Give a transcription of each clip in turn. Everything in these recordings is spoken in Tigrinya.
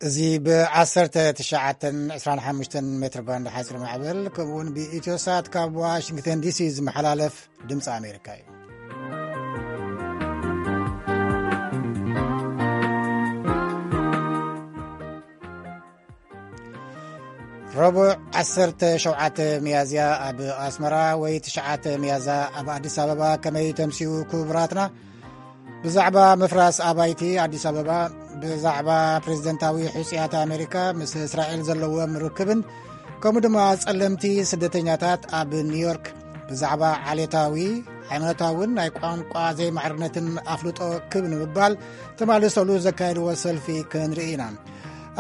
እዚ ብ19 25 ሜትር ባንድ ሓፂር ማዕበል፣ ከምኡውን ብኢትዮሳት ካብ ዋሽንግተን ዲሲ ዝመሓላለፍ ድምፂ ኣሜሪካ እዩ። ረቡዕ 17 ሚያዝያ ኣብ ኣስመራ ወይ 9 ሚያዝያ ኣብ ኣዲስ ኣበባ ከመይ ተምስዩ? ክቡራትና፣ ብዛዕባ ምፍራስ ኣባይቲ ኣዲስ ኣበባ፣ ብዛዕባ ፕሬዝደንታዊ ሕጹያት ኣሜሪካ ምስ እስራኤል ዘለዎም ርክብን፣ ከምኡ ድማ ጸለምቲ ስደተኛታት ኣብ ኒውዮርክ፣ ብዛዕባ ዓሌታዊ፣ ሃይማኖታውን ናይ ቋንቋ ዘይማዕርነትን ኣፍልጦ ክብ ንምባል ተማልሰሉ ዘካየድዎ ሰልፊ ክንርኢ ኢና።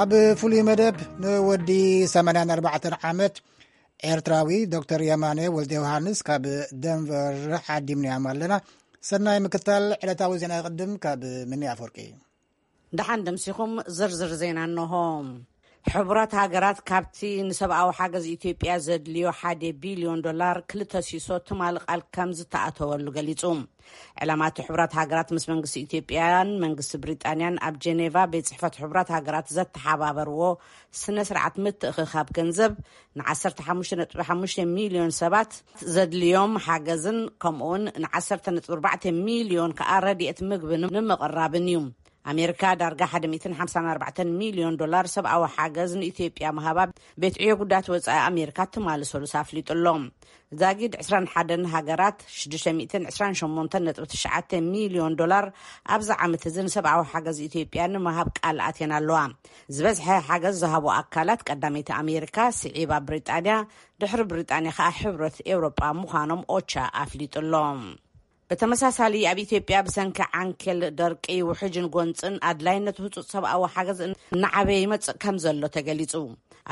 ኣብ ፍሉይ መደብ ንወዲ 84 ዓመት ኤርትራዊ ዶክተር የማነ ወልደ ዮሃንስ ካብ ደንቨር ዓዲምናዮም ኣለና። ሰናይ ምክታል። ዕለታዊ ዜና ይቕድም ካብ ምኒ ኣፈወርቂ። ደሓን ደምሲኹም። ዝርዝር ዜና እንሆ። ሕቡራት ሃገራት ካብቲ ንሰብኣዊ ሓገዝ ኢትዮጵያ ዘድልዮ ሓደ ቢልዮን ዶላር ክልተ ሲሶ ትማሊ ቃል ከም ዝተኣተወሉ ገሊጹ። ዕላማ እቲ ሕቡራት ሃገራት ምስ መንግስቲ ኢትዮጵያን መንግስቲ ብሪጣንያን ኣብ ጀኔቫ ቤት ጽሕፈት ሕቡራት ሃገራት ዘተሓባበርዎ ስነ ስርዓት ምትእኽኻብ ገንዘብ ን15.5 ሚልዮን ሰባት ዘድልዮም ሓገዝን ከምኡውን ን10.4 ሚልዮን ከኣ ረድኤት ምግቢ ንምቕራብን እዩ። ኣሜሪካ ዳርጋ 154 ሚልዮን ዶላር ሰብኣዊ ሓገዝ ንኢትዮጵያ ምሃባ ቤት ዕዮ ጉዳያት ወጻኢ ኣሜሪካ ትማሊ ሰሉስ ኣፍሊጡ ኣሎ። ዛጊድ 21 ሃገራት 628.9 ሚልዮን ዶላር ኣብዚ ዓመት እዚ ንሰብኣዊ ሓገዝ ኢትዮጵያ ንምሃብ ቃል ኣትየን ኣለዋ። ዝበዝሐ ሓገዝ ዝሃቡ ኣካላት ቀዳመይቲ ኣሜሪካ፣ ስዒባ ብሪጣንያ፣ ድሕሪ ብሪጣንያ ከኣ ሕብረት ኤውሮጳ ምዃኖም ኦቻ ኣፍሊጡ ኣሎ። ብተመሳሳሊ ኣብ ኢትዮጵያ ብሰንኪ ዓንኬል ደርቂ፣ ውሕጅን ጎንጽን ኣድላይነት ህጹጽ ሰብኣዊ ሓገዝ እናዓበየ ይመጽእ ከም ዘሎ ተገሊጹ።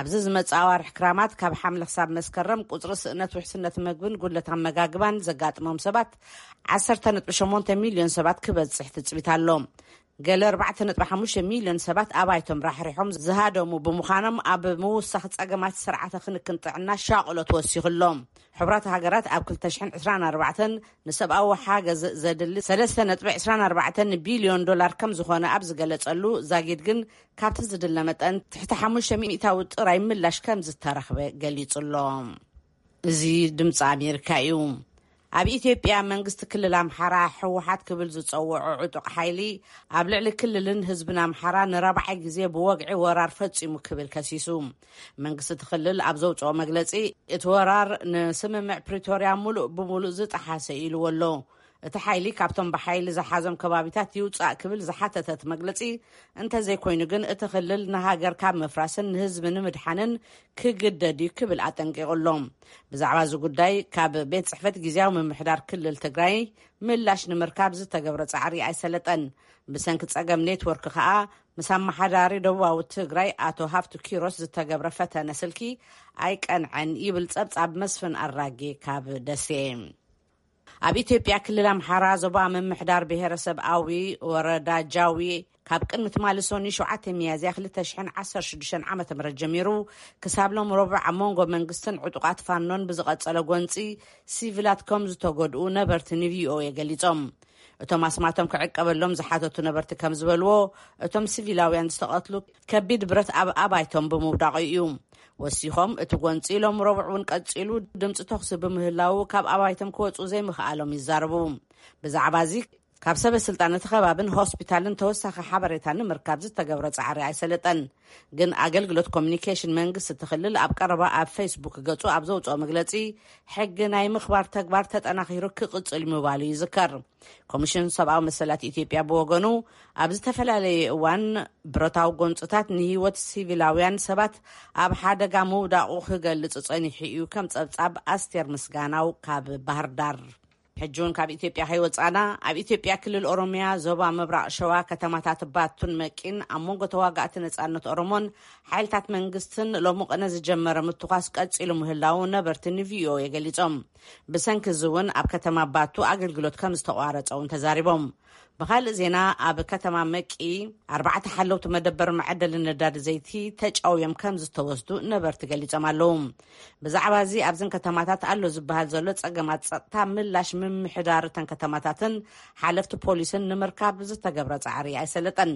ኣብዚ ዝመጽእ ኣዋርሕ ክራማት ካብ ሓምለ ክሳብ መስከረም ቁጽሪ ስእነት ውሕስነት መግብን ጉድለት ኣመጋግባን ዘጋጥሞም ሰባት 18 ሚልዮን ሰባት ክበጽሕ ትጽቢት ኣሎ። ገለ 4.5 ሚልዮን ሰባት ኣባይቶም ራሕሪሖም ዝሃደሙ ብምዃኖም ኣብ ምውሳኽ ጸገማት ስርዓተ ክንክን ጥዕና ሻቕሎት ወሲኹ ኣሎ። ሕቡራት ሃገራት ኣብ 2024 ንሰብኣዊ ሓገዝ ዘድሊ 3.24 ቢልዮን ዶላር ከም ዝኾነ ኣብ ዝገለጸሉ፣ ዛጊድ ግን ካብቲ ዝድለ መጠን ትሕቲ ሓሙሽተ ሚእታዊ ጥራይ ምላሽ ከም ዝተረኽበ ገሊጹ ኣሎ። እዚ ድምፂ ኣሜሪካ እዩ። ኣብ ኢትዮጵያ መንግስቲ ክልል ኣምሓራ ህወሓት ክብል ዝፀውዖ ዕጡቕ ሓይሊ ኣብ ልዕሊ ክልልን ህዝብን ኣምሓራ ንራብዓይ ግዜ ብወግዒ ወራር ፈፂሙ ክብል ከሲሱ። መንግስቲ እቲ ክልል ኣብ ዘውፅኦ መግለፂ፣ እቲ ወራር ንስምምዕ ፕሪቶርያ ሙሉእ ብሙሉእ ዝጠሓሰ ኢልዎ ኣሎ። እቲ ሓይሊ ካብቶም ብሓይሊ ዝሓዞም ከባቢታት ይውፃእ ክብል ዝሓተተ እቲ መግለፂ፣ እንተዘይኮይኑ ግን እቲ ክልል ንሃገር ካብ ምፍራስን ንህዝቢ ንምድሓንን ክግደድ እዩ ክብል ኣጠንቂቑ ኣሎ። ብዛዕባ እዚ ጉዳይ ካብ ቤት ጽሕፈት ግዝያዊ ምምሕዳር ክልል ትግራይ ምላሽ ንምርካብ ዝተገብረ ጻዕሪ ኣይሰለጠን። ብሰንኪ ጸገም ኔትወርክ ከኣ ምስ ኣመሓዳሪ ደቡባዊ ትግራይ ኣቶ ሃፍቱ ኪሮስ ዝተገብረ ፈተነ ስልኪ ኣይቀንዐን ይብል ጸብጻብ መስፍን ኣራጌ ካብ ደሴ። ኣብ ኢትዮጵያ ክልል ኣምሓራ ዞባ ምምሕዳር ብሔረሰብ ኣዊ ወረዳ ጃዊ ካብ ቅድሚ ትማሊ ሰኑይ 7 ሚያዝያ 2016 ዓ ም ጀሚሩ ክሳብ ሎም ረቡዕ ኣብ መንጎ መንግስትን ዕጡቓት ፋኖን ብዝቐጸለ ጎንፂ ሲቪላት ከም ዝተጎድኡ ነበርቲ ንቪኦኤ ገሊጾም። እቶም ኣስማቶም ክዕቀበሎም ዝሓተቱ ነበርቲ ከም ዝበልዎ፣ እቶም ሲቪላውያን ዝተቐትሉ ከቢድ ብረት ኣብ ኣባይቶም ብምውዳቑ እዩ። ወሲኾም፣ እቲ ጎንፂ ሎም ረቡዕ እውን ቀፂሉ ድምፂ ተኹሲ ብምህላዉ ካብ ኣባይቶም ክወፁ ዘይምኽኣሎም ይዛረቡ። ብዛዕባ እዚ ካብ ሰበ ስልጣን እቲ ከባብን ሆስፒታልን ተወሳኺ ሓበሬታ ንምርካብ ዝተገብረ ጻዕሪ ኣይሰለጠን። ግን ኣገልግሎት ኮሚኒኬሽን መንግስቲ እቲ ክልል ኣብ ቀረባ ኣብ ፌስቡክ ገጹ ኣብ ዘውፅኦ መግለጺ፣ ሕጊ ናይ ምኽባር ተግባር ተጠናኺሩ ክቕጽል ምባሉ ይዝከር። ኮሚሽን ሰብኣዊ መሰላት ኢትዮጵያ ብወገኑ፣ ኣብ ዝተፈላለየ እዋን ብረታዊ ጎንጽታት ንህይወት ሲቪላውያን ሰባት ኣብ ሓደጋ ምውዳቑ ክገልጽ ጸኒሑ እዩ፣ ከም ጸብጻብ ኣስቴር ምስጋናው ካብ ባህር ዳር። ሕጂ እውን ካብ ኢትዮጵያ ከይወጻና፣ ኣብ ኢትዮጵያ ክልል ኦሮሚያ ዞባ ምብራቕ ሸዋ ከተማታት ባቱን መቂን ኣብ መንጎ ተዋጋእቲ ነጻነት ኦሮሞን ሓይልታት መንግስትን ሎሚ ቅነ ዝጀመረ ምትኳስ ቀጺሉ ምህላው ነበርቲ ንቪኦኤ ገሊጾም። ብሰንኪ እዚ እውን ኣብ ከተማ ባቱ ኣገልግሎት ከም ዝተቋረጸ እውን ተዛሪቦም። ብኻልእ ዜና፣ ኣብ ከተማ መቂ ኣርባዕተ ሓለውቲ መደበር መዐደሊ ነዳዲ ዘይቲ ተጫውዮም ከም ዝተወስዱ ነበርቲ ገሊጾም ኣለዉ። ብዛዕባ እዚ ኣብዘን ከተማታት ኣሎ ዝበሃል ዘሎ ጸገማት ጸጥታ ምላሽ ምምሕዳር እተን ከተማታትን ሓለፍቲ ፖሊስን ንምርካብ ዝተገብረ ጻዕሪ ኣይሰለጠን።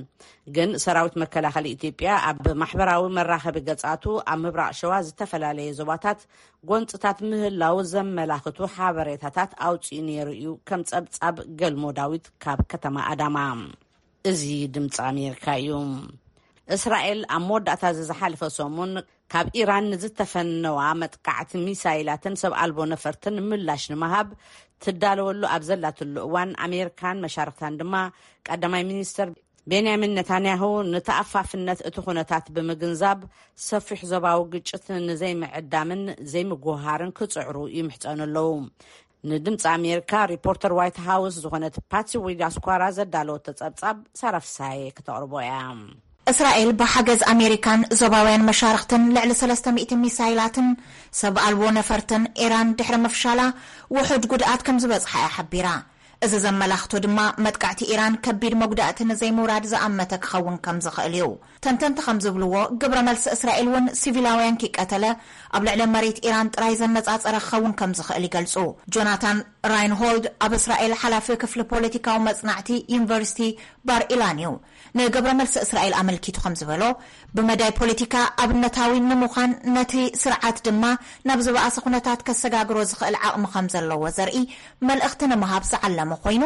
ግን ሰራዊት መከላኸሊ ኢትዮጵያ ኣብ ማሕበራዊ መራኸቢ ገጻቱ ኣብ ምብራቕ ሸዋ ዝተፈላለየ ዞባታት ጎንጽታት ምህላው ዘመላኽቱ ሓበሬታታት ኣውጺኡ ነይሩ እዩ። ከም ጸብጻብ ገልሞ ዳዊት ካብ ከተማ ኣዳማ። እዚ ድምፂ ኣሜሪካ እዩ። እስራኤል ኣብ መወዳእታ እዚ ዝሓለፈ ሰሙን ካብ ኢራን ንዝተፈነዋ መጥቃዕቲ ሚሳይላትን ሰብ ኣልቦ ነፈርትን ምላሽ ንምሃብ ትዳለወሉ ኣብ ዘላትሉ እዋን፣ ኣሜሪካን መሻርክታን ድማ ቀዳማይ ሚኒስትር ቤንያሚን ነታንያሁ ንተኣፋፍነት እቲ ኩነታት ብምግንዛብ ሰፊሕ ዞባዊ ግጭት ንዘይምዕዳምን ዘይምጉሃርን ክጽዕሩ ይምሕጸኑ ኣለዉ። ንድምፂ ኣሜሪካ ሪፖርተር ዋይት ሃውስ ዝኾነት ፓትሲ ዊዳስኳራ ዘዳለወቶ ጸብጻብ ሳራ ፍሳዬ ክተቕርቦ እያ። እስራኤል ብሓገዝ ኣሜሪካን ዞባውያን መሻርኽትን ልዕሊ ሰለስተ ሚእቲ ሚሳይላትን ሰብ ኣልቦ ነፈርትን ኢራን ድሕሪ ምፍሻላ ውሑድ ጉድኣት ከም ዝበጽሓ እያ ሓቢራ። እዚ ዘመላኽቶ ድማ መጥቃዕቲ ኢራን ከቢድ መጉዳእቲ ንዘይምውራድ ዝኣመተ ክኸውን ከም ዝኽእል እዩ። ተንተንቲ ከም ዝብልዎ፣ ግብረ መልሲ እስራኤል እውን ሲቪላውያን ኪቀተለ ኣብ ልዕሊ መሬት ኢራን ጥራይ ዘነጻጸረ ክኸውን ከም ዝኽእል ይገልጹ። ጆናታን ራይንሆልድ ኣብ እስራኤል ሓላፊ ክፍሊ ፖለቲካዊ መጽናዕቲ ዩኒቨርሲቲ ባር ኢላን እዩ። ንግብረ መልሲ እስራኤል ኣመልኪቱ ከም ዝበሎ፣ ብመዳይ ፖለቲካ ኣብነታዊ ንምዃን፣ ነቲ ስርዓት ድማ ናብ ዝበኣሰ ኩነታት ከሰጋግሮ ዝኽእል ዓቕሚ ከም ዘለዎ ዘርኢ መልእኽቲ ንምሃብ ዝዓለመ ኮይኑ፣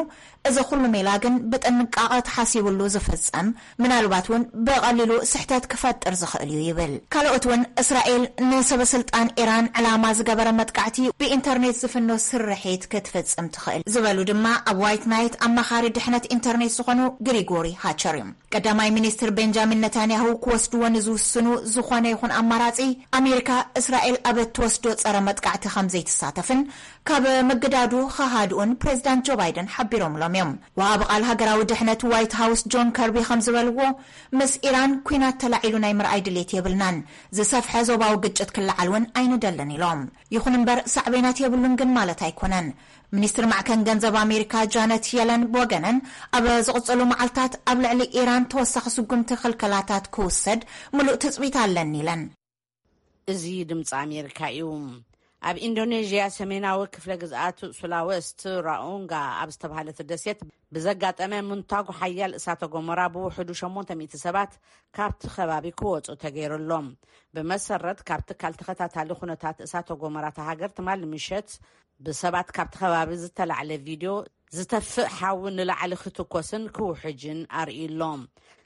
እዚ ኩሉ ሜላ ግን ብጥንቃቐ ተሓሲብሉ ዝፍጸም፣ ምናልባት እውን ብቐሊሉ ስሕተት ክፈጥር ዝኽእል እዩ ይብል። ካልኦት እውን እስራኤል ንሰበ ስልጣን ኢራን ዕላማ ዝገበረ መጥቃዕቲ ብኢንተርኔት ዝፍኖ ስርሒት ክትፍጽም ትኽእል ዝበሉ ድማ ኣብ ዋይት ናይት ኣማኻሪ ድሕነት ኢንተርኔት ዝኾኑ ግሪጎሪ ሃቸር እዮም። ቀዳማይ ሚኒስትር ቤንጃሚን ነታንያሁ ክወስድዎ ንዝውስኑ ዝኾነ ይኹን ኣማራጺ፣ ኣሜሪካ እስራኤል ኣብ እትወስዶ ጸረ መጥቃዕቲ ከም ዘይትሳተፍን ካብ ምግዳዱ ክሃድኡን ፕሬዚዳንት ጆ ባይደን ሓቢሮምሎም እዮም። ወሃቢ ቃል ሃገራዊ ድሕነት ዋይት ሃውስ ጆን ከርቢ ከም ዝበልዎ፣ ምስ ኢራን ኲናት ተላዒሉ ናይ ምርኣይ ድሌት የብልናን፣ ዝሰፍሐ ዞባዊ ግጭት ክለዓል እውን ኣይንደልን ኢሎም። ይኹን እምበር ሳዕቤናት የብሉን ግን ማለት ኣይኮነን። ሚኒስትር ማዕከን ገንዘብ ኣሜሪካ ጃነት የለን ብወገነን፣ ኣብ ዝቕጽሉ መዓልታት ኣብ ልዕሊ ኢራን ተወሳኺ ስጉምቲ ክልከላታት ክውሰድ ምሉእ ትጽቢት ኣለኒ ኢለን። እዚ ድምፂ ኣሜሪካ እዩ። ኣብ ኢንዶኔዥያ ሰሜናዊ ክፍለ ግዝኣት ሱላወስቲ ራኡንጋ ኣብ ዝተባህለት ደሴት ብዘጋጠመ ምንታጉ ሓያል እሳተ ጎመራ ብውሕዱ ሸሞንተ ሚእቲ ሰባት ካብቲ ከባቢ ክወፁ ተገይሩሎም። ብመሰረት ካብ ትካል ተኸታታሊ ኩነታት እሳተ ጎመራ እታ ሃገር ትማሊ ምሸት ብሰባት ካብቲ ከባቢ ዝተላዕለ ቪድዮ ዝተፍእ ሓዊ ንላዕሊ ክትኮስን ክውሕጅን ኣርእዩ ኣሎ።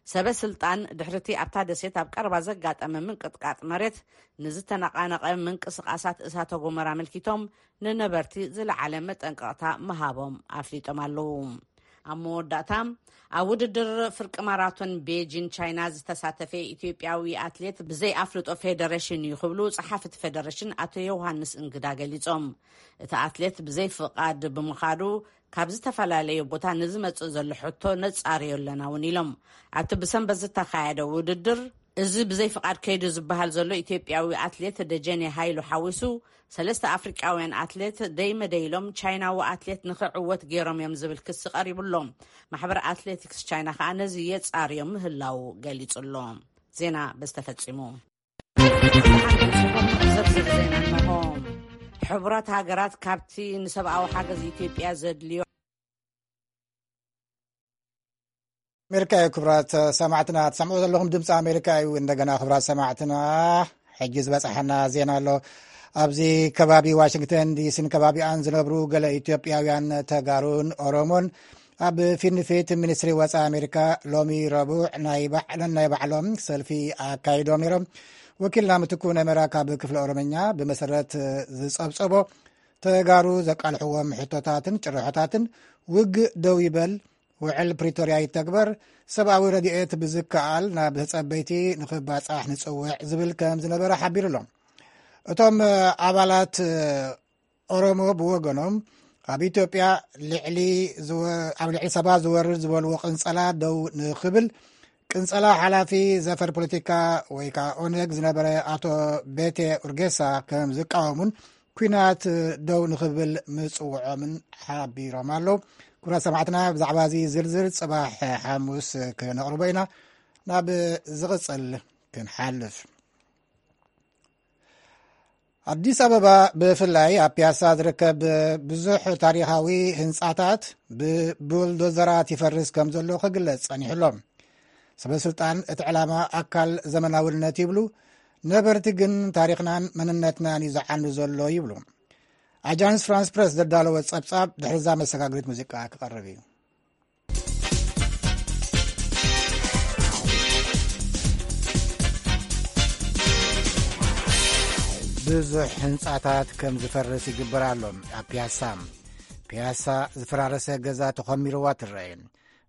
ሰበ ስልጣን ድሕርቲ ኣብታ ደሴት ኣብ ቀረባ ዘጋጠመ ምንቅጥቃጥ መሬት ንዝተነቓነቐ ምንቅስቓሳት እሳተ ጎመራ ኣመልኪቶም ንነበርቲ ዝለዓለ መጠንቀቕታ ምሃቦም ኣፍሊጦም ኣለዉ። ኣብ መወዳእታ፣ ኣብ ውድድር ፍርቂ ማራቶን ቤጂን ቻይና ዝተሳተፈ ኢትዮጵያዊ ኣትሌት ብዘይ ኣፍልጦ ፌደሬሽን እዩ ክብሉ ጸሓፊ እቲ ፌደሬሽን ኣቶ ዮሃንስ እንግዳ ገሊጾም። እቲ ኣትሌት ብዘይ ፍቓድ ብምኻዱ ካብ ዝተፈላለዩ ቦታ ንዝመጽእ ዘሎ ሕቶ ነጻርዮ ኣለና እውን ኢሎም። ኣብቲ ብሰንበት ዝተኻየደ ውድድር፣ እዚ ብዘይ ፍቓድ ከይዱ ዝበሃል ዘሎ ኢትዮጵያዊ ኣትሌት ደጀኔ ሃይሉ ሓዊሱ ሰለስተ ኣፍሪቃውያን ኣትሌት ደይመደይሎም ቻይናዊ ኣትሌት ንኽዕወት ገይሮም እዮም ዝብል ክሲ ቀሪቡሎም። ማሕበር ኣትሌቲክስ ቻይና ከዓ ነዚ የጻርዮ ምህላው ገሊጹ ኣሎ። ዜና በዚ ተፈጺሙ። ዝርዝር ዜና እንሆ። ሕቡራት ሃገራት ካብቲ ንሰብኣዊ ሓገዝ ኢትዮጵያ ዘድልዮ ኣሜሪካ እዩ። ክቡራት ሰማዕትና፣ ትሰምዑ ዘለኹም ድምፂ ኣሜሪካ እዩ። እንደገና ክቡራት ሰማዕትና፣ ሕጂ ዝበፅሐና ዜና ኣሎ። ኣብዚ ከባቢ ዋሽንግተን ዲሲን ከባቢኣን ዝነብሩ ገለ ኢትዮጵያውያን ተጋሩን ኦሮሞን ኣብ ፊት ንፊት ሚኒስትሪ ወፃኢ ኣሜሪካ ሎሚ ረቡዕ ናይ ባዕለን ናይ ባዕሎም ሰልፊ ኣካይዶም ነይሮም። ወኪልና ምትኩ ነመራ ካብ ክፍለ ኦሮምኛ ብመሰረት ዝፀብፀቦ፣ ተጋሩ ዘቃልሕዎም ሕቶታትን ጭርሖታትን፣ ውግእ ደው ይበል፣ ውዕል ፕሪቶርያ ይተግበር፣ ሰብኣዊ ረድኤት ብዝከኣል ናብ ተጸበይቲ ንኽባጻሕ ንጽውዕ ዝብል ከም ዝነበረ ሓቢሩ ኣሎ። እቶም ኣባላት ኦሮሞ ብወገኖም፣ ኣብ ኢትዮጵያ ልዕሊ ዝወ-፣ ኣብ ልዕሊ ሰባት ዝወርድ ዝበልዎ ቅንጸላ ደው ንኽብል፣ ቅንጸላ ሓላፊ ዘፈር ፖለቲካ ወይ ከዓ ኦነግ ዝነበረ ኣቶ ቤቴ ኡርጌሳ ከም ዝቃወሙን ኲናት ደው ንኽብል ምጽውዖምን ሓቢሮም ኣለዉ። ክቡራት ሰማዕትና፣ ብዛዕባ እዚ ዝርዝር ጽባሕ ሓሙስ ክነቕርቦ ኢና። ናብ ዝቕጽል ክንሓልፍ። ኣዲስ ኣበባ፣ ብፍላይ ኣብ ፒያሳ ዝርከብ ብዙሕ ታሪኻዊ ህንጻታት ብቡልዶዘራት ይፈርስ ከም ዘሎ ክግለጽ ጸኒሑ ኣሎ። ሰበ ስልጣን እቲ ዕላማ ኣካል ዘመናውነት ይብሉ፣ ነበርቲ ግን ታሪኽናን መንነትናን እዩ ዝዓኑ ዘሎ ይብሉ። ኣጃንስ ፍራንስ ፕረስ ዘዳለወ ጸብጻብ ድሕሪ እዛ መሰጋግሪት ሙዚቃ ክቐርብ እዩ። ብዙሕ ህንጻታት ከም ዝፈርስ ይግበር ኣሎ። ኣብ ፒያሳ፣ ፒያሳ ዝፈራረሰ ገዛ ተኾሚርዋ ትረአ።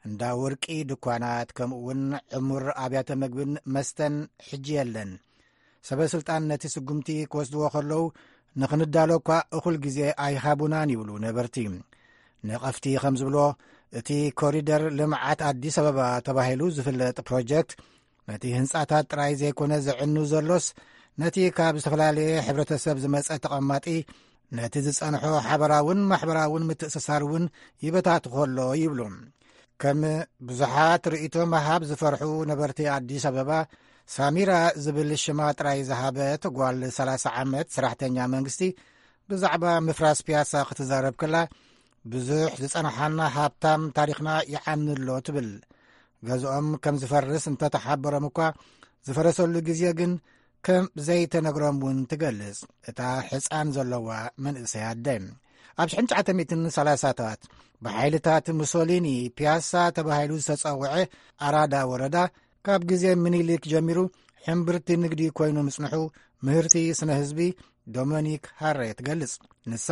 እንዳ ወርቂ ድኳናት፣ ከምኡ እውን ዕሙር ኣብያተ መግብን መስተን ሕጂ የለን። ሰበ ስልጣን ነቲ ስጉምቲ ክወስድዎ ከለዉ፣ ንኽንዳሎ እኳ እኹል ግዜ ኣይሃቡናን ይብሉ ነበርቲ። ነቐፍቲ ከም ዝብሎ፣ እቲ ኮሪደር ልምዓት ኣዲስ ኣበባ ተባሂሉ ዝፍለጥ ፕሮጀክት፣ ነቲ ህንጻታት ጥራይ ዘይኮነ ዘዕኑ ዘሎስ፣ ነቲ ካብ ዝተፈላለየ ሕብረተሰብ ዝመጸ ተቐማጢ፣ ነቲ ዝጸንሖ ሓበራውን ማሕበራውን ምትእስሳር እውን ይበታትኾ ኣሎ ይብሉ። ከም ብዙሓት ርእይቶ ምሃብ ዝፈርሑ ነበርቲ ኣዲስ ኣበባ፣ ሳሚራ ዝብል ሽማ ጥራይ ዝሃበት ጓል ሰላሳ ዓመት ሰራሕተኛ መንግስቲ፣ ብዛዕባ ምፍራስ ፒያሳ ክትዛረብ ከላ፣ ብዙሕ ዝጸንሓና ሃብታም ታሪኽና ይዓኒ ኣሎ ትብል። ገዝኦም ከም ዝፈርስ እንተተሓበሮም እኳ፣ ዝፈረሰሉ ግዜ ግን ከም ዘይተነግሮም እውን ትገልጽ እታ ሕጻን ዘለዋ መንእሰይ ኣደ። ኣብ ሽሕን ትሽዓተ ሚእትን ሰላሳታት ብሓይልታት ሙሶሊኒ ፒያሳ ተባሂሉ ዝተጸውዐ ኣራዳ ወረዳ፣ ካብ ግዜ ምኒልክ ጀሚሩ ሕምብርቲ ንግዲ ኮይኑ ምጽንሑ ምህርቲ ስነ ህዝቢ ዶሚኒክ ሃሬ ትገልጽ። ንሳ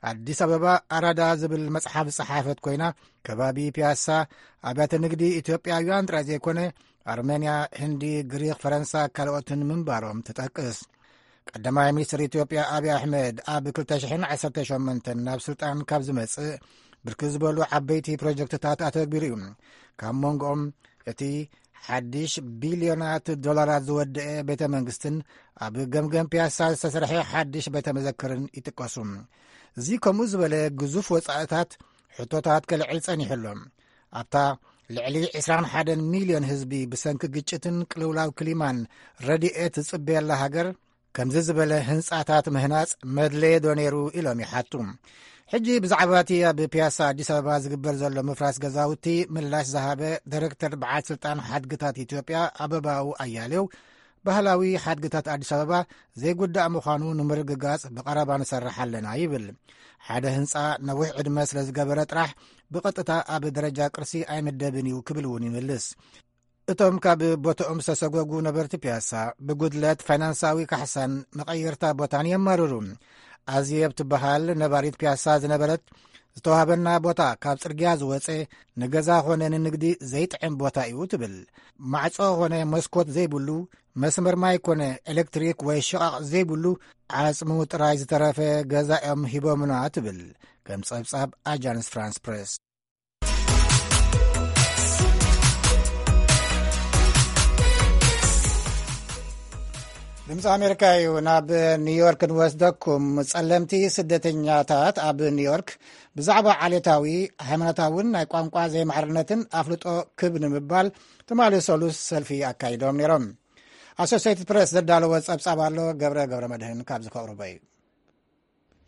ኣዲስ ኣበባ ኣራዳ ዝብል መጽሓፍ ዝጸሓፈት ኮይና፣ ከባቢ ፒያሳ ኣብያተ ንግዲ ኢትዮጵያውያን ጥራይ ዘይኮነ፣ ኣርሜንያ፣ ህንዲ፣ ግሪኽ፣ ፈረንሳ፣ ካልኦትን ምንባሮም ትጠቅስ። ቀዳማይ ሚኒስትር ኢትዮጵያ ኣብይ ኣሕመድ ኣብ ክልተ ሽሕን ዓሰርተ ሸሞንተን ናብ ስልጣን ካብ ዝመጽእ፣ ብርክት ዝበሉ ዓበይቲ ፕሮጀክትታት ኣተግቢሩ እዩ። ካብ መንጎኦም እቲ ሓድሽ ቢልዮናት ዶላራት ዝወደአ ቤተ መንግስትን ኣብ ገምገም ፒያሳ ዝተሰርሐ ሓድሽ ቤተ መዘክርን ይጥቀሱ። እዚ ከምኡ ዝበለ ግዙፍ ወጻእታት ሕቶታት ከልዕል ጸኒሑ ኣሎ። ኣብታ ልዕሊ ዕስራን ሓደን ሚልዮን ህዝቢ ብሰንኪ ግጭትን ቅልውላው ክሊማን ረድኤት ዝጽበየላ ሃገር፣ ከምዚ ዝበለ ህንጻታት ምህናጽ መድለየ ዶ ነይሩ ኢሎም ይሓቱ። ሕጂ ብዛዕባ እቲ ኣብ ፒያሳ ኣዲስ ኣበባ ዝግበር ዘሎ ምፍራስ ገዛውቲ ምላሽ ዝሃበ ዳይሬክተር በዓል ስልጣን ሓድግታት ኢትዮጵያ ኣበባው ኣያሌው፣ ባህላዊ ሓድግታት ኣዲስ ኣበባ ዘይጉዳእ ምዃኑ ንምርግጋጽ ብቐረባ ንሰርሕ ኣለና ይብል። ሓደ ህንጻ ነዊሕ ዕድመ ስለ ዝገበረ ጥራሕ ብቐጥታ ኣብ ደረጃ ቅርሲ ኣይምደብን እዩ ክብል እውን ይምልስ። እቶም ካብ ቦታኦም ዝተሰጎጉ ነበርቲ ፒያሳ፣ ብጉድለት ፋይናንሳዊ ካሕሳን መቐየርታ ቦታን የማርሩ። ኣዝየብ ትበሃል ነባሪት ፒያሳ ዝነበረት፣ ዝተዋህበና ቦታ ካብ ጽርግያ ዝወጸ፣ ንገዛ ኾነ ንንግዲ ዘይጥዕም ቦታ እዩ ትብል። ማዕጾ ኾነ መስኮት ዘይብሉ፣ መስመር ማይ ኮነ ኤሌክትሪክ ወይ ሽቓቕ ዘይብሉ፣ ዓጽሙ ጥራይ ዝተረፈ ገዛ እዮም ሂቦምና ትብል፣ ከም ጸብጻብ ኣጃንስ ፍራንስ ፕሬስ። ድምፂ ኣሜሪካ እዩ። ናብ ኒውዮርክ ንወስደኩም። ጸለምቲ ስደተኛታት ኣብ ኒውዮርክ ብዛዕባ ዓሌታዊ፣ ሃይማኖታውን ናይ ቋንቋ ዘይማዕርነትን ኣፍልጦ ክብ ንምባል ትማሊ ሰሉስ ሰልፊ ኣካይዶም ነይሮም። ኣሶሲየትድ ፕሬስ ዘዳለወ ጸብጻብ ኣሎ። ገብረ ገብረ መድህን ካብዚ ከቕርቦ እዩ።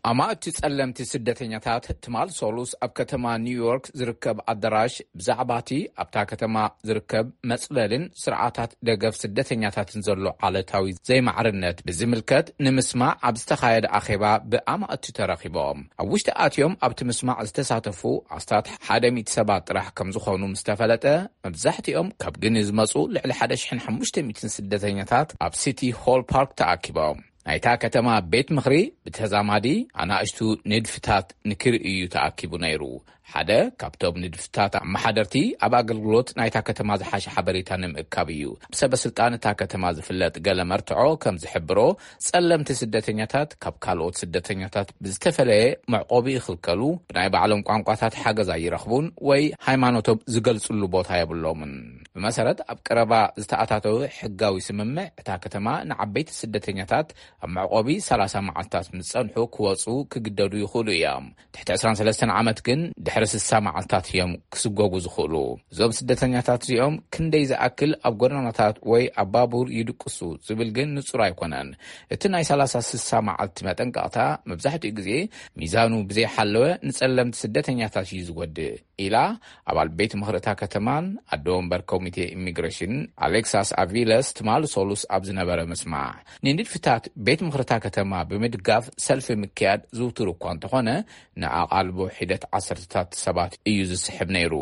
ኣማእቲ ጸለምቲ ስደተኛታት ትማል ሶሉስ ኣብ ከተማ ኒውዮርክ ዝርከብ ኣዳራሽ ብዛዕባ እቲ ኣብታ ከተማ ዝርከብ መጽለልን ስርዓታት ደገፍ ስደተኛታትን ዘሎ ዓለታዊ ዘይማዕርነት ብዝምልከት ንምስማዕ ኣብ ዝተኻየደ ኣኼባ ብኣማእቲ ተረኺቦም። ኣብ ውሽጢ ኣትዮም ኣብቲ ምስማዕ ዝተሳተፉ ኣስታት ሓደ ሚእቲ ሰባት ጥራሕ ከም ዝኾኑ ምስ ተፈለጠ፣ መብዛሕትኦም ካብ ግኒ ዝመጹ ልዕሊ ሓደ ሽሕን ሓሙሽተ ሚእትን ስደተኛታት ኣብ ሲቲ ሆል ፓርክ ተኣኪቦም። ናይታ ከተማ ቤት ምኽሪ ብተዛማዲ ኣናእሽቱ ንድፍታት ንክርኢ እዩ ተኣኪቡ ነይሩ። ሓደ ካብቶም ንድፍታት ኣመሓደርቲ፣ ኣብ ኣገልግሎት ናይታ ከተማ ዝሓሸ ሓበሬታ ንምእካብ እዩ። ብሰበ ስልጣን እታ ከተማ ዝፍለጥ ገለ መርትዖ ከም ዝሕብሮ፣ ጸለምቲ ስደተኛታት ካብ ካልኦት ስደተኛታት ብዝተፈለየ መዕቆቢ ይኽልከሉ፣ ብናይ ባዕሎም ቋንቋታት ሓገዝ ኣይረኽቡን፣ ወይ ሃይማኖቶም ዝገልጽሉ ቦታ የብሎምን። ብመሰረት ኣብ ቀረባ ዝተኣታተወ ሕጋዊ ስምምዕ፣ እታ ከተማ ንዓበይቲ ስደተኛታት ኣብ መዕቆቢ ሰላሳ መዓልታት ምስ ጸንሑ ክወጹ ክግደዱ ይኽእሉ እዮም። ትሕቲ ዕስራን ሰለስተን ዓመት ግን ድሕሪ ስሳ መዓልታት እዮም ክስጎጉ ዝኽእሉ። እዞም ስደተኛታት እዚኦም ክንደይ ዝኣክል ኣብ ጎደናታት ወይ ኣብ ባቡር ይድቅሱ ዝብል ግን ንጹር ኣይኮነን። እቲ ናይ ሰላሳ ስሳ መዓልቲ መጠንቀቕታ መብዛሕትኡ ግዜ ሚዛኑ ብዘይሓለወ ንጸለምቲ ስደተኛታት እዩ ዝጎድእ፣ ኢላ ኣባል ቤት ምኽሪ እታ ከተማን ኣደ ወንበር ኮሚቴ ኢሚግሬሽን ኣሌክሳስ ኣቪለስ ትማሊ ሰሉስ ኣብ ዝነበረ ምስማዕ። ንንድፍታት ቤት ምኽሪ እታ ከተማ ብምድጋፍ ሰልፊ ምክያድ ዝውቱር እኳ እንተኾነ፣ ንኣቓልቦ ሒደት ዓሰርተታት ሰባት እዩ ዝስሕብ ነይሩ።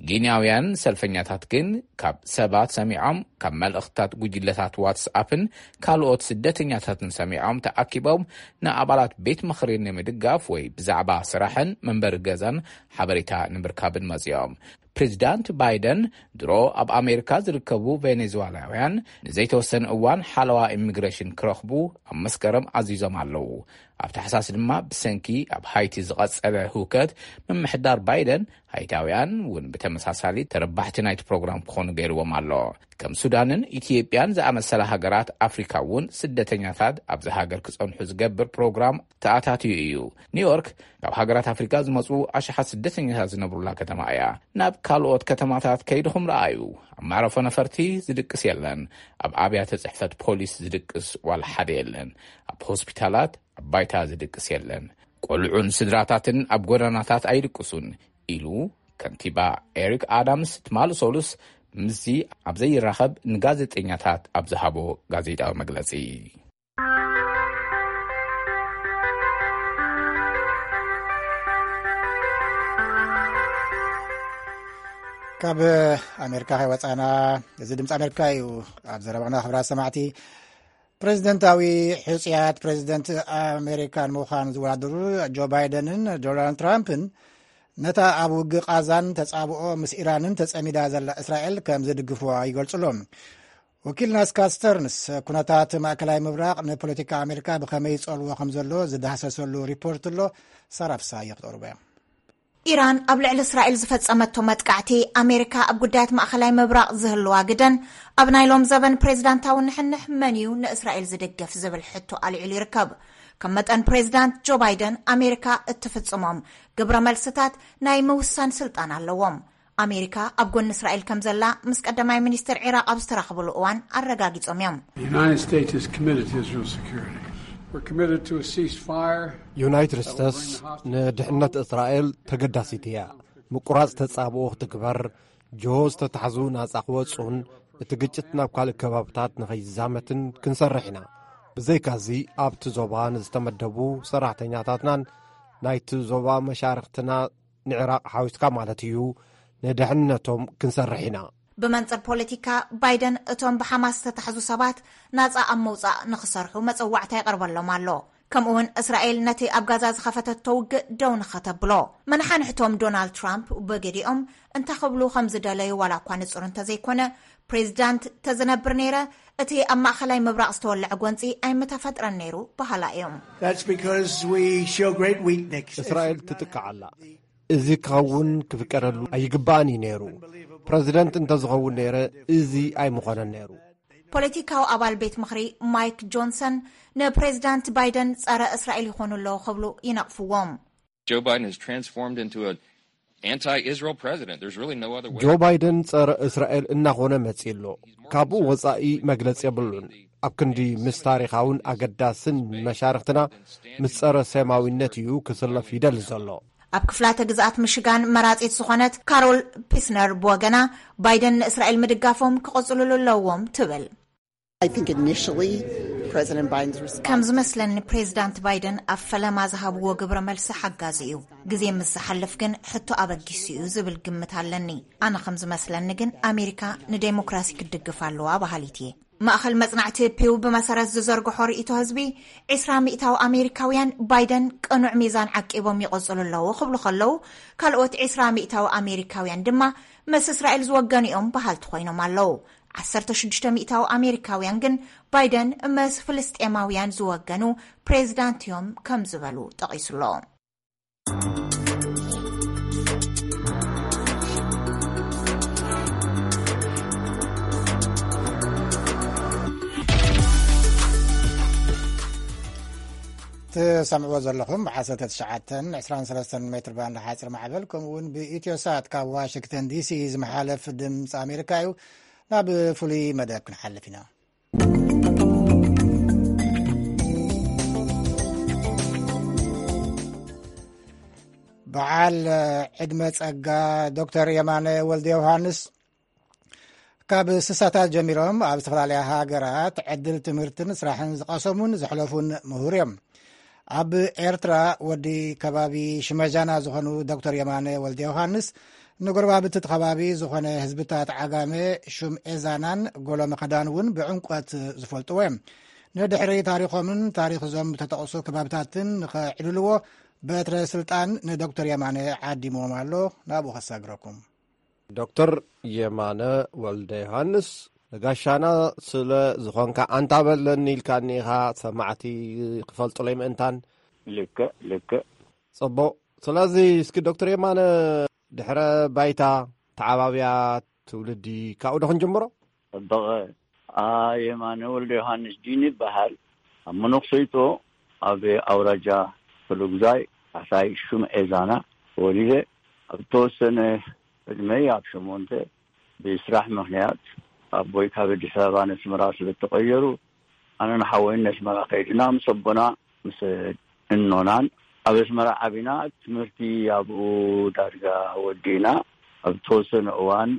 ጊንያውያን ሰልፈኛታት ግን ካብ ሰባት ሰሚዖም፣ ካብ መልእኽትታት ጉጅለታት ዋትስኣፕን ካልኦት ስደተኛታትን ሰሚዖም ተኣኪቦም ንኣባላት ቤት ምኽሪ ንምድጋፍ ወይ ብዛዕባ ስራሕን መንበሪ ገዛን ሓበሬታ ንምርካብን መጺኦም። ፕሬዚዳንት ባይደን ድሮ ኣብ ኣሜሪካ ዝርከቡ ቬኔዙዋላውያን ንዘይተወሰነ እዋን ሓለዋ ኢሚግሬሽን ክረኽቡ ኣብ መስከረም ኣዚዞም ኣለዉ። ኣብ ታሕሳስ ድማ ብሰንኪ ኣብ ሃይቲ ዝቐጸለ ህውከት፣ ምምሕዳር ባይደን ሃይታውያን እውን ብተመሳሳሊ ተረባሕቲ ናይቲ ፕሮግራም ክኾኑ ገይርዎም ኣሎ። ከም ሱዳንን ኢትዮጵያን ዝኣመሰላ ሃገራት ኣፍሪካ እውን ስደተኛታት ኣብዚ ሃገር ክጸንሑ ዝገብር ፕሮግራም ተኣታትዩ እዩ። ኒውዮርክ ካብ ሃገራት ኣፍሪካ ዝመጹ ኣሽሓት ስደተኛታት ዝነብሩላ ከተማ እያ። ናብ ካልኦት ከተማታት ከይድኹም ረኣዩ። ኣብ መዕረፎ ነፈርቲ ዝድቅስ የለን። ኣብ ኣብያተ ጽሕፈት ፖሊስ ዝድቅስ ዋላ ሓደ የለን። ኣብ ሆስፒታላት ኣብ ባይታ ዝድቅስ የለን። ቆልዑን ስድራታትን ኣብ ጎደናታት ኣይድቅሱን፣ ኢሉ ከንቲባ ኤሪክ ኣዳምስ ትማሊ ሰሉስ ምስዚ ኣብ ዘይራኸብ ንጋዜጠኛታት ኣብ ዝሃቦ ጋዜጣዊ መግለጺ። ካብ ኣሜሪካ ከይወፃና፣ እዚ ድምፂ ኣሜሪካ እዩ። ኣብ ዘረባና ክብራት ሰማዕቲ፣ ፕሬዚደንታዊ ሕፁያት ፕሬዚደንት ኣሜሪካ ንምዃን ዝወዳደሩ ጆ ባይደንን ዶናልድ ትራምፕን ነታ ኣብ ውግእ ቃዛን ተጻብኦ ምስ ኢራንን ተጸሚዳ ዘላ እስራኤል ከም ዝድግፍዋ ይገልጹ ኣለዉ። ወኪልና ስካት ስተርንስ ኩነታት ማእከላይ ምብራቕ ንፖለቲካ ኣሜሪካ ብኸመይ ይጸልዎ ከም ዘሎ ዝዳህሰሰሉ ሪፖርት ኣሎ። ሳራ ፍስሃየ ክትቕርቦ እያ። ኢራን ኣብ ልዕሊ እስራኤል ዝፈጸመቶ መጥቃዕቲ፣ ኣሜሪካ ኣብ ጉዳያት ማእከላይ ምብራቕ ዝህልዋ ግደን፣ ኣብ ናይ ሎም ዘበን ፕሬዚዳንታዊ ንሕንሕ መን እዩ ንእስራኤል ዝድግፍ ዝብል ሕቶ ኣልዒሉ ይርከብ። ከም መጠን ፕሬዚዳንት ጆ ባይደን፣ ኣሜሪካ እትፍጽሞም ግብረ መልስታት ናይ ምውሳን ስልጣን ኣለዎም። ኣሜሪካ ኣብ ጎኒ እስራኤል ከም ዘላ ምስ ቀዳማይ ሚኒስትር ዒራቕ ኣብ ዝተራኸብሉ እዋን ኣረጋጊጾም እዮም። The United States is committed to Israel's security. We're committed to a ceasefire. ዩናይትድ ስቴትስ ንድሕነት እስራኤል ተገዳሲት እያ። ምቁራጽ ተጻብኦ ክትግበር፣ ጅሆ ዝተታሕዙ ናጻ ክወጹን እቲ ግጭት ናብ ካልእ ከባብታት ንኸይዛመትን ክንሰርሕ ኢና። ብዘይካዚ ኣብቲ ዞባ ንዝተመደቡ ሰራሕተኛታትናን ናይቲ ዞባ መሻርኽትና ንዕራቕ ሓዊስካ ማለት እዩ፣ ንድሕንነቶም ክንሰርሕ ኢና። ብመንጽር ፖለቲካ ባይደን እቶም ብሓማስ ዝተታሕዙ ሰባት ናጻ ኣብ መውጻእ ንኽሰርሑ መጸዋዕታ ይቐርበሎም ኣሎ። ከምኡውን እስራኤል ነቲ ኣብ ጋዛ ዝኸፈተቶ ውግእ ደው ንኸተብሎ። መናሓንሕቶም ዶናልድ ትራምፕ ብገዲኦም እንታይ ክብሉ ከም ዝደለዩ ዋላ እኳ ንጹር እንተዘይኮነ፣ ፕሬዚዳንት ተዝነብር ነይረ፣ እቲ ኣብ ማእኸላይ ምብራቕ ዝተወለዐ ጎንጺ ኣይምተፈጥረን ነይሩ በሃላ እዮም። That's because we show great weakness. እስራኤል ትጥቃዕ ኣላ። እዚ ክኸውን ክፍቀደሉ ኣይግባእን እዩ ነይሩ። ፕረዚደንት እንተዝኸውን ነይረ፣ እዚ ኣይምኾነን ነይሩ። ፖለቲካዊ ኣባል ቤት ምኽሪ ማይክ ጆንሰን ንፕሬዚዳንት ባይደን ጸረ እስራኤል ይኾኑ ኣለዉ ክብሉ ይነቕፍዎም። Joe Biden has transformed into an anti-Israel president. There's really no other way. ጆ ባይደን ጸረ እስራኤል እናኾነ መጺእ ኣሎ። ካብኡ ወጻኢ መግለጺ የብሉን። ኣብ ክንዲ ምስ ታሪኻውን ኣገዳስን መሻርኽትና፣ ምስ ጸረ ሴማዊነት እዩ ክስለፍ ይደሊ ዘሎ። ኣብ ክፍላተ ግዝኣት ምሽጋን መራጺት ዝኾነት ካሮል ፒስነር ብወገና፣ ባይደን ንእስራኤል ምድጋፎም ክቕጽሉሉ ኣለዎም ትብል። I think initially President Biden's response ከም ዝመስለኒ፣ ፕሬዚዳንት ባይደን ኣብ ፈለማ ዝሃብዎ ግብረ መልሲ ሓጋዚ እዩ። ግዜ ምስ ዝሓልፍ ግን ሕቶ ኣበጊሱ እዩ ዝብል ግምት ኣለኒ። ኣነ ከም ዝመስለኒ ግን፣ ኣሜሪካ ንዴሞክራሲ ክትድግፍ ኣለዋ በሃሊት እየ። ማእኸል መጽናዕቲ ፒው ብመሰረት ዝዘርግሖ ርእይቶ ህዝቢ፣ ዕስራ ሚእታዊ ኣሜሪካውያን ባይደን ቅኑዕ ሚዛን ዓቂቦም ይቕጽሉ ኣለዉ ክብሉ ከለዉ፣ ካልኦት ዕስራ ሚእታዊ ኣሜሪካውያን ድማ ምስ እስራኤል ዝወገኑ እዮም በሃልቲ ኮይኖም ኣለዉ። ዓሰርተ ሽዱሽተ ሚእታዊ ኣሜሪካውያን ግን ባይደን ምስ ፍልስጤማውያን ዝወገኑ ፕሬዚዳንት እዮም ከም ዝበሉ ጠቒሱ ኣሎ። ትሰምዕዎ ዘለኹም ብ19 23 ሜትር ባንድ ሓፂር ማዕበል፣ ከምኡ እውን ብኢትዮ ሳት ካብ ዋሽንግተን ዲሲ ዝመሓለፍ ድምፂ ኣሜሪካ እዩ። ናብ ፍሉይ መደብ ክንሓልፍ ኢና። በዓል ዕድመ ጸጋ ዶክተር የማነ ወልደ ዮሃንስ ካብ ስሳታት ጀሚሮም ኣብ ዝተፈላለያ ሃገራት ዕድል ትምህርትን ስራሕን ዝቐሰሙን ዘሕለፉን ምሁር እዮም። ኣብ ኤርትራ ወዲ ከባቢ ሽመጃና ዝኾኑ ዶክተር የማነ ወልደ ዮሃንስ ንጎረባብቲ እቲ ከባቢ ዝኾነ ህዝብታት ዓጋመ ሹም ኤዛናን ጎሎ መኸዳን እውን ብዕምቆት ዝፈልጥዎ እዮም። ንድሕሪ ታሪኾምን ታሪኽ እዞም ዝተጠቕሱ ከባብታትን ንኸዕልልዎ በትረ ስልጣን ንዶክተር የማነ ዓዲምዎም ኣሎ። ናብኡ ከሳግረኩም። ዶክተር የማነ ወልደ ዮሃንስ ንጋሻና ስለ ዝኾንካ ኣንታ በለኒ ኢልካኒ ኢኻ፣ ሰማዕቲ ክፈልጡለይ ምእንታን። ልክዕ፣ ልክዕ። ጽቡቕ። ስለዚ እስኪ ዶክተር የማነ ድሕረ ባይታ፣ ተዓባብያ፣ ትውልዲ ካብኡ ዶ ክንጅምሮ? ጽቡቕ። ኣ፣ የማነ ወልደ ዮሃንስ ዲን ይበሃል። ኣብ መነኩሰይቶ ኣብ ኣውራጃ ክፍለጉዛይ ታሕታይ ሹም ኤዛና ተወሊደ። ኣብ ተወሰነ ዕድመይ ኣብ ሸሞንተ ብስራሕ ምኽንያት ኣቦይ ካብ ኣዲስ ኣበባ ነስመራ ስለ እተቐየሩ፣ ኣነን ሓወይን ነስመራ ከይድና ምስ ኣቦና ምስ እኖናን ኣብ ኣስመራ ዓቢና። ትምህርቲ ኣብኡ ዳርጋ ወዲእና። ኣብ ተወሰነ እዋን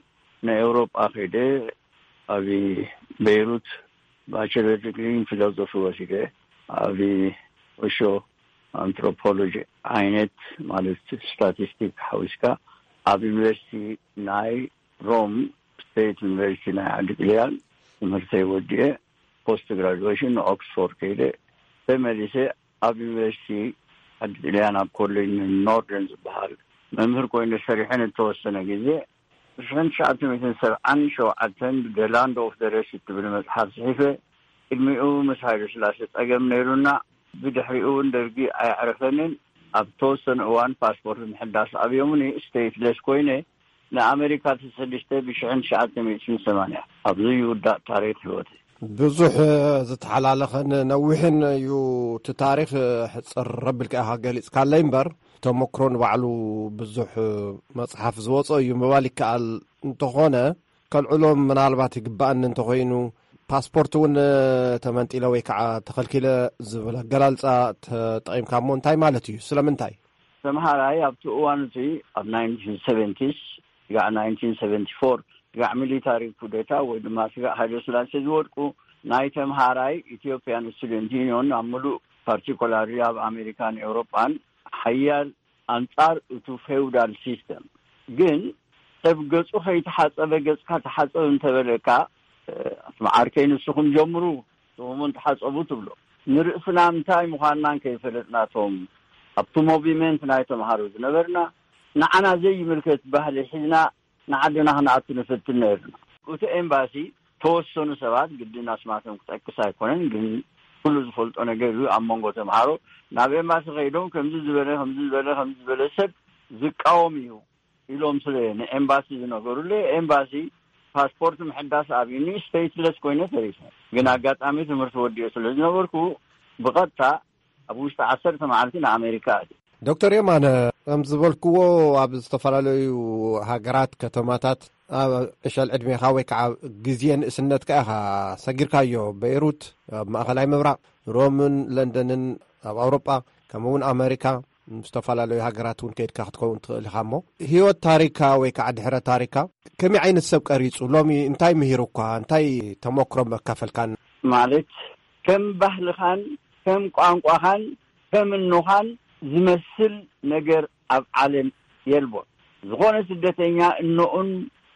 ንኤውሮጳ ከይደ ኣብ ቤይሩት ባቸለር ዲግሪ ን ፊሎዞፊ ወሲደ። ኣብ ኦሾ ኣንትሮፖሎጂ ዓይነት ማለት ስታቲስቲክ ሓዊስካ ኣብ ዩኒቨርሲቲ ናይ ሮም ስቴት ዩኒቨርሲቲ ናይ ዓዲ ጥልያን ትምህርተይ ወዲኤ ፖስት ግራጁዌሽን ንኦክስፎርድ ከይደ ተመሊሰ ኣብ ዩኒቨርሲቲ ዓዲ ጥልያን ኣብ ኮሌጅ ኖርደርን ዝበሃል መምህር ኮይነ ሰሪሐ ንተወሰነ ግዜ። ብሽሕን ትሽዓተ ሚእትን ሰብዓን ሸውዓተን The Land of the Rest እትብል መጽሓፍ ጽሒፈ። ቅድሚኡ ምስ ሃይለ ስላሴ ጸገም ነይሩና። ብድሕሪኡ እውን ደርጊ ኣየዕረፈንን። ኣብ ተወሰነ እዋን ፓስፖርት ምሕዳስ ኣብዮምኒ ስቴትለስ ኮይነ ንኣሜሪካ ተሰዲደ ብሽሕን ትሽዓተ ሚእትን ሰማንያ። ኣብዚ ይውዳእ ታሪኽ ህይወተይ። ብዙሕ ዝተሓላለኸን ነዊሕን እዩ እቲ ታሪኽ። ሕጽር ረቢልካ ኢኻ ገሊጽካለይ እምበር፣ ተመክሮ ንባዕሉ ብዙሕ መጽሓፍ ዝወጾ እዩ ምባል ይከኣል። እንተኾነ፣ ከልዕሎም ምናልባት ይግባኣኒ እንተኾይኑ፣ ፓስፖርት እውን ተመንጢለ ወይ ከዓ ተኸልኪለ ዝብል ኣገላልጻ ተጠቒምካ እሞ እንታይ ማለት እዩ? ስለምንታይ? ተምሃራይ ኣብቲ እዋን እቲ ኣብ ናይንቲን ሰቨንቲስ፣ ስጋዕ ናይንቲን ሰቨንቲ ፎር፣ ስጋዕ ሚሊታሪ ኩዴታ ወይ ድማ ስጋዕ ሃይለ ስላሴ ዝወድቁ፣ ናይ ተምሃራይ ኢትዮጵያን ስቱደንት ዩኒዮን ኣብ ምሉእ ፓርቲኩላሪ ኣብ ኣሜሪካን ኤውሮጳን ሓያል ኣንጻር እቱ ፌውዳል ሲስተም። ግን ሰብ ገጹ ከይተሓጸበ ገጽካ ተሓጸብ እንተበለካ፣ እ፣ ኣቲ መዓርከይ ንስኹም ጀምሩ፣ ንስኹም እውን ተሓጸቡ ትብሎ። ንርእስና እንታይ ምዃንና እንከይፈለጥናቶም ኣብቲ ሞቪመንት ናይ ተምሃሮ ዝነበርና ንዓና ዘይምልከት ባህሊ ሒዝና ንዓድና ክንኣቱ ንፍትን ነርና። እቲ ኤምባሲ ተወሰኑ ሰባት ግድን ኣስማቶም ክጠቅስ ኣይኮነን፣ ግን ኩሉ ዝፈልጦ ነገር እዩ። ኣብ መንጎ ተምሃሮ ናብ ኤምባሲ ከይዶም ከምዚ ዝበለ፣ ከምዚ ዝበለ፣ ከምዚ ዝበለ ሰብ ዝቃወም እዩ ኢሎም ስለ ንኤምባሲ ዝነገሩለይ፣ ኤምባሲ ፓስፖርት ምሕዳስ ኣብዩኒ ስቴትለስ ኮይነ ተሪፈ። ግን ኣጋጣሚ ትምህርቲ ወዲኦ ስለ ዝነበርኩ ብቐጥታ ኣብ ውሽጢ ዓሰርተ መዓልቲ ንኣሜሪካ ኣትየ። ዶክተር የማነ፣ ከም ዝበልክዎ ኣብ ዝተፈላለዩ ሃገራት፣ ከተማታት ኣብ ዕሸል ዕድሜኻ ወይ ከዓ ግዜ ንእስነትካ ኢኻ ሰጊርካዮ። በይሩት ኣብ ማእኸላይ ምብራቕ፣ ሮምን ለንደንን ኣብ ኣውሮጳ፣ ከምኡ እውን ኣሜሪካ፣ ምስ ዝተፈላለዩ ሃገራት እውን ከይድካ ክትከውን ትኽእል ኢኻ። እሞ ህይወት ታሪካ ወይ ከዓ ድሕረ ታሪካ ከመይ ዓይነት ሰብ ቀሪጹ? ሎሚ እንታይ ምሂሩኳ? እንታይ ተመክሮ መካፈልካን? ማለት ከም ባህልኻን ከም ቋንቋኻን ከም እኖኻን ዝመስል ነገር ኣብ ዓለም የልቦን። ዝኾነ ስደተኛ እኖኡን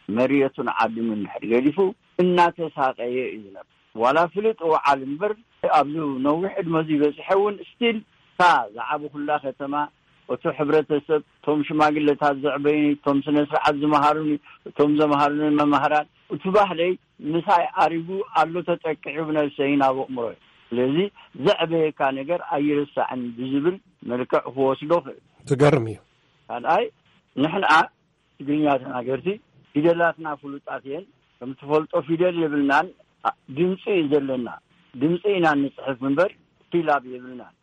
መርየቱን ዓዲሙ እንድሕር ገዲፉ እናተሳቀየ እዩ ዝነብር። ዋላ ፍልጥ ወዓል እምበር፣ ኣብዚ ነዊሕ ዕድመ እዚ በፂሐ እውን ስቲል እታ ዝዓበኹላ ከተማ፣ እቲ ሕብረተሰብ፣ እቶም ሽማግለታት ዘዕበዩኒ፣ እቶም ስነ ስርዓት ዝመሃሩኒ፣ እቶም ዘምሃሩኒ መማህራን፣ እቲ ባህለይ ምሳይ ኣሪጉ ኣሎ ተጠቂዑ ብነብሰይን ኣብ ኣእምሮይ። ስለዚ ዘዕበየካ ነገር ኣይርሳዕን ብዝብል መልክዕ ክወስዶ ክእል። ትገርም እዩ። ካልኣይ፣ ንሕና ትግርኛ ተናገርቲ ፊደላትና ፍሉጣት እየን። ከም ትፈልጦ ፊደል የብልናን፣ ኣ- ድምፂ እዩ ዘለና። ድምፂ ኢና ንፅሕፍ እምበር ሲላብ የብልናን።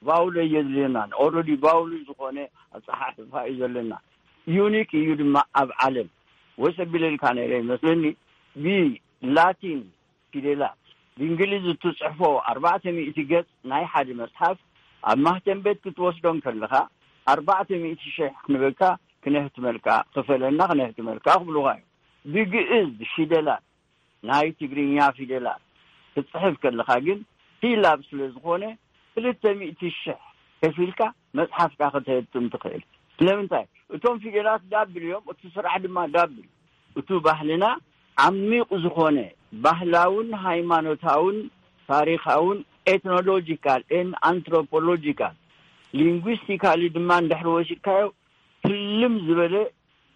ቫውል የድልየናን። ኦልሬዲ ቫውል ዝኾነ ኣፀሓሕፋ እዩ ዘለና። ዩኒክ እዩ ድማ ኣብ ዓለም። ወሰ ቢለልካ ነይረ ይመስለኒ፣ ብላቲን ፊደላት ብእንግሊዝ እትፅሕፎ ኣርባዕተ ሚእቲ ገፅ ናይ ሓደ መፅሓፍ ኣብ ማህተም ቤት ክትወስዶ እንከለኻ ኣርባዕተ ሚእቲ ሽሕ ክንበካ ክነህትመልካ፣ ክፈለና ክነህትመልካ ክብሉኻ እዮም። ብግእዝ ፊደላት ናይ ትግርኛ ፊደላት ክትፅሕፍ ከለኻ ግን ሲላብ ስለ ዝኾነ ክልተ ሚእቲ ሽሕ ከፊልካ መፅሓፍካ ከተህትም ትኽእል። ስለምንታይ? እቶም ፊደላት ዳብል እዮም፣ እቲ ስራሕ ድማ ዳብል። እቱ ባህልና ዓሚቕ ዝኾነ ባህላውን ሃይማኖታውን ታሪኻውን ኤትኖሎጂካል ኤን ኣንትሮፖሎጂካል ሊንጉስቲካሊ ድማ እንድሕር ወሲድካዮ ህልም ዝበለ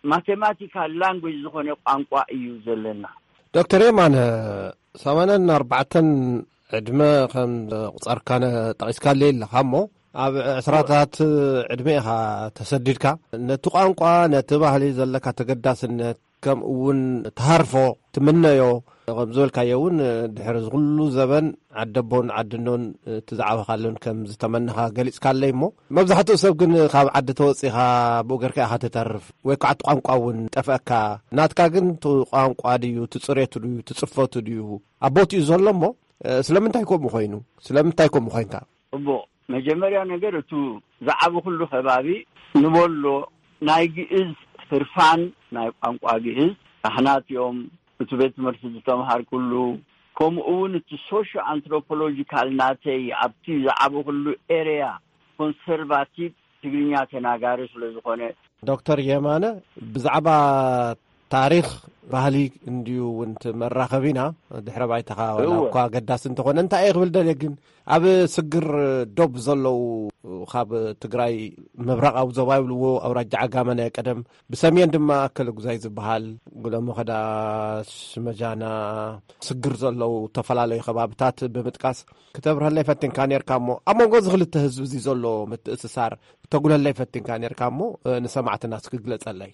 ማቴማቲካል ላንጉጅ ዝኾነ ቋንቋ እዩ ዘለና። ዶክተር የማነ፣ ሰማንያን ኣርባዕተን ዕድመ ከም ቁፀርካ ጠቒስካለይ ኣለኻ እሞ፣ ኣብ ዕስራታት ዕድመ ኢኻ ተሰዲድካ። ነቲ ቋንቋ፣ ነቲ ባህሊ ዘለካ ተገዳስነት፣ ከምኡ እውን ትሃርፎ፣ ትምነዮ፣ ከም ዝበልካዮ እውን ድሕሪ እዚ ኩሉ ዘበን ዓደቦን ዓድኖን እቲ ዝዓበኻሉን ከም ዝተመነኻ ገሊጽካለይ እሞ፣ መብዛሕትኡ ሰብ ግን ካብ ዓዲ ተወጺኻ ብኡ ገርካ ኢኻ ትተርፍ፣ ወይ ከዓ እቲ ቋንቋ እውን ጠፍአካ። ናትካ ግን እቲ ቋንቋ ድዩ፣ እቲ ጽሬቱ ድዩ፣ እቲ ጽፈቱ ድዩ፣ ኣብ ቦትኡ ዘሎ እሞ፣ ስለምንታይ ከምኡ ኮይኑ? ስለምንታይ ከምኡ ኮይንካ? እቦ፣ መጀመርያ ነገር እቱ ዝዓበኹሉ ከባቢ ንበሎ ናይ ግእዝ ህርፋን ናይ ቋንቋ ግእዝ ካህናት እዮም። እቲ ቤት ትምህርቲ ዝተምሃርኩሉ፣ ከምኡ እውን እቲ ሶሾ ኣንትሮፖሎጂካል ናተይ ኣብቲ ዝዓበኹሉ ኤርያ ኮንሰርቫቲቭ ትግርኛ ተናጋሪ ስለ ዝኾነ። ዶክተር የማነ፣ ብዛዕባ ታሪኽ ባህሊ እንድዩ እውን እቲ መራኸቢና፣ ድሕረ ባይታኻ ዋላ እወ። እኳ ኣገዳሲ እንተኾነ፣ እንታይ እየ ክብል ደልየ ግን፣ ኣብ ስግር ዶብ ዘለዉ፣ ካብ ትግራይ ምብራቓዊ ዞባ ይብልዎ፣ ኣውራጃ ዓጋመ ናይ ቀደም፣ ብሰሜን ድማ ኣከለጉዛይ ዝበሃል፣ ጉለመኸዳ፣ ሽመጃና፣ ስግር ዘለዉ ዝተፈላለዩ ከባብታት ብምጥቃስ ክተብርሀለይ ፈቲንካ ነይርካ እሞ፣ ኣብ መንጎ እዚ ክልተ ህዝቢ እዚ ዘሎ ምትእስሳር ክተጉለለይ ፈቲንካ ነይርካ እሞ፣ ንሰማዕትና እስኪ ግለጸለይ።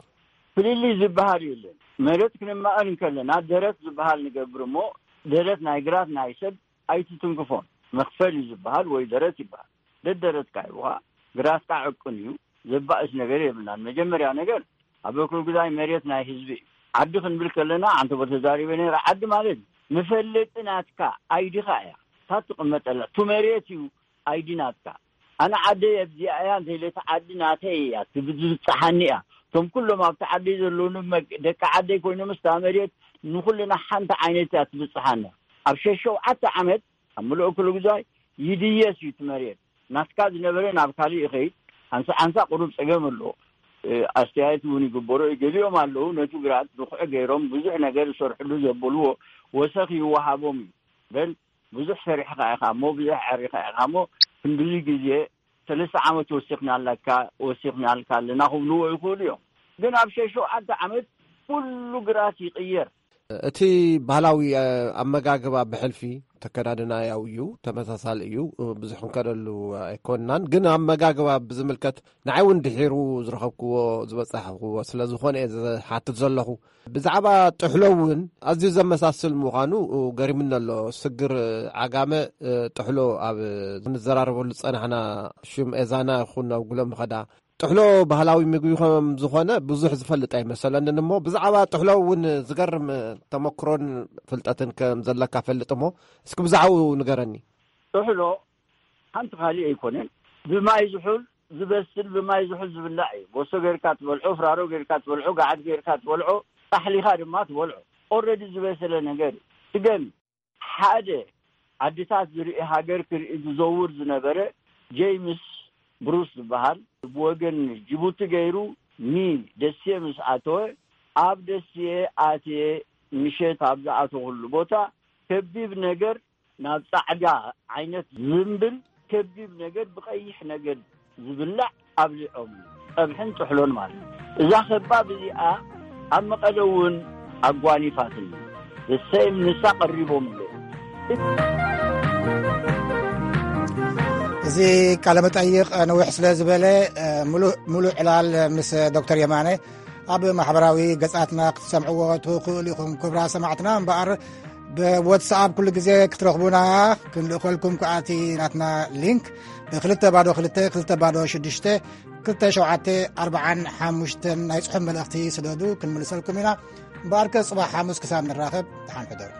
ፍልልይ ዝበሃል የለን። መሬት ክንማቐል እንከለና ደረት ዝበሃል ንገብር እሞ፣ ደረት ናይ ግራት ናይ ሰብ ኣይትትንክፎን። መኽፈል እዩ ዝበሃል ወይ ደረት ይበሃል። ደደረትካ ይብኻ፣ ግራትካ ዕቅን እዩ። ዘባእስ ነገር የብልናን። መጀመርያ ነገር ኣብ እኩልጉዛይ መሬት ናይ ህዝቢ እዩ። ዓዲ ክንብል ከለና፣ ዓንተቦ ተዛሪበ ነይረ፣ ዓዲ ማለት መፈለጢ ናትካ ኣይዲኻ እያ። እታ ትቕመጠላ፣ እቱ መሬት እዩ ኣይዲ ናትካ። ኣነ ዓደይ ኣብዚኣ እያ፣ እንተኢለ እታ ዓዲ ናተይ እያ፣ ትብ-፣ ትብጽሓኒ እያ። እቶም ኩሎም ኣብቲ ዓደይ ዘለዉ ንመግ-፣ ደቂ ዓደይ ኮይኖም፣ ምስታ መሬት ንኹልና ሓንቲ ዓይነት እያ ትብጽሓና። ኣብ ሸሸውዓተ ዓመት ኣብ ምሉእ ክልጉዛይ ይድየስ እዩ እቲ መሬት። ናትካ ዝነበረ ናብ ካልእ ይኸይድ። ሓንሳ ሓንሳ ቁሩብ ጸገም ኣለዎ። እ፣ ኣስተያየት እውን ይግበሮ እዩ። ገሊኦም ኣለዉ ነቲ ግራት ድኹዒ ገይሮም ብዙሕ ነገር ዝሰርሕሉ ዘበልዎ ወሰኽ ይወሃቦም እዩ። በል ብዙሕ ሰሪሕኻ ኢኻ እሞ፣ ብዙሕ ዓሪኻ ኢኻ እሞ፣ ክንድዚ ግዜ፣ ሰለስተ ዓመት ወሲኽናለካ፣ ወሲኽናልካ ኣለና ክብልዎ ይኽእሉ እዮም። ግን ኣብ ሸሸውዓተ ዓመት ኩሉ ግራት ይቕየር። እቲ ባህላዊ፣ እ፣ ኣመጋግባ ብሕልፊ ተከዳድና ያው እዩ፣ ተመሳሳሊ እዩ፣ እ፣ ብዙሕ ክንከደሉ ኣይኮንናን። ግን ኣመጋግባ ብዝምልከት ንዓይ እውን ድሒሩ ዝረኸብክዎ፣ ዝበጻሕክዎ ስለ ዝኾነ እየ ዝሓትት ዘለኹ። ብዛዕባ ጥሕሎ እውን ኣዝዩ ዘመሳስል ምዃኑ ገሪሙኒ ኣሎ። ስግር ዓጋመ፣ ጥሕሎ ኣብ ንዘራረበሉ ዝጸናሕና ሽም ኤዛና ይኹን ኣብ ጉሎም ንኸዳ፣ ጥሕሎ ባህላዊ ምግቢ ከም ዝኾነ ብዙሕ ዝፈልጥ ኣይመሰለንን እሞ፣ ብዛዕባ ጥሕሎ እውን ዝገርም ተመክሮን ፍልጠትን ከም ዘለካ ፈልጥ እሞ፣ እስኪ ብዛዕባኡ ንገረኒ። ጥሕሎ ሓንቲ ካልእ ኣይኮነን። ብማይ ዝሑል ዝበስል፣ ብማይ ዝሑል ዝብላዕ እዩ። ጎሶ ጌርካ ትበልዖ፣ ፍራሮ ጌርካ ትበልዖ፣ ገዓት ጌርካ ትበልዖ፣ ጣሕሊኻ ድማ ትበልዖ። ኦልሬዲ ዝበሰለ ነገር እዩ። ስገም ሓደ ዓድታት ዝርኢ፣ ሃገር ክርኢ ዝዘውር ዝነበረ ጄምስ ብሩስ ዝበሃል፣ ብወገን ጅቡቲ ገይሩ ንደሴ ምስ ኣተወ፣ ኣብ ደሴ ኣትየ ምሸት ኣብ ዝኣተኹሉ ቦታ ከቢብ ነገር ናብ ጻዕዳ ዓይነት ዝንብል፣ ከቢብ ነገር ብቐይሕ ነገር ዝብላዕ ኣብሊዖም፣ ጸብሕን ጥሕሎን ማለት እዩ። እዛ ከባብ እዚኣ ኣብ መቐለ እውን ኣጓኒፋትኒ። እሰይም ንሳ ቀሪቦምለ። እዚ ቃለ መጠይቕ ነዊሕ ስለ ዝበለ፣ ሙሉእ ዕላል ምስ ዶክተር የማነ ኣብ ማሕበራዊ ገጻትና ክትሰምዕዎ ትኽእሉ ኢኹም። ክብራ ሰማዕትና እምበኣር፣ ብዋትስኣፕ ኩሉ ግዜ ክትረኽቡና ክንልእኸልኩም ከኣቲ ናትና ሊንክ ብ202-206-2745 ናይ ጽሑፍ መልእኽቲ ስደዱ፣ ክንምልሰልኩም ኢና። እምበኣርከ ጽባሕ ሓሙስ ክሳብ ንራኸብ፣ ደሓን ሕደሩ።